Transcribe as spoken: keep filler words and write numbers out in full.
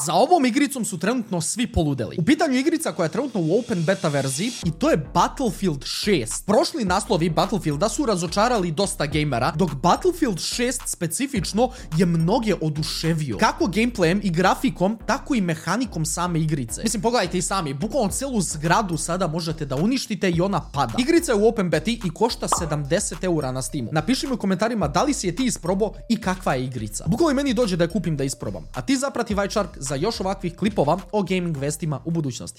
Za ovom igricom su trenutno svi poludeli. U pitanju igrica koja je trenutno u open beta verziji i to je Battlefield šest. Prošli naslovi Battlefielda su razočarali dosta gamera, dok Battlefield šest specifično je mnoge oduševio. Kako gameplayem i grafikom, tako i mehanikom same igrice. Mislim, pogledajte i sami, bukvalno celu zgradu sada možete da uništite i ona pada. Igrica je u open beti i košta sedamdeset eura na Steamu. Napiši mi u komentarima da li si je ti isprobao i kakva je igrica. Bukvalno meni dođe da je kupim da isprobam. A ti zaprati Vajčark za još ovakvih klipova o gaming vestima u budućnosti.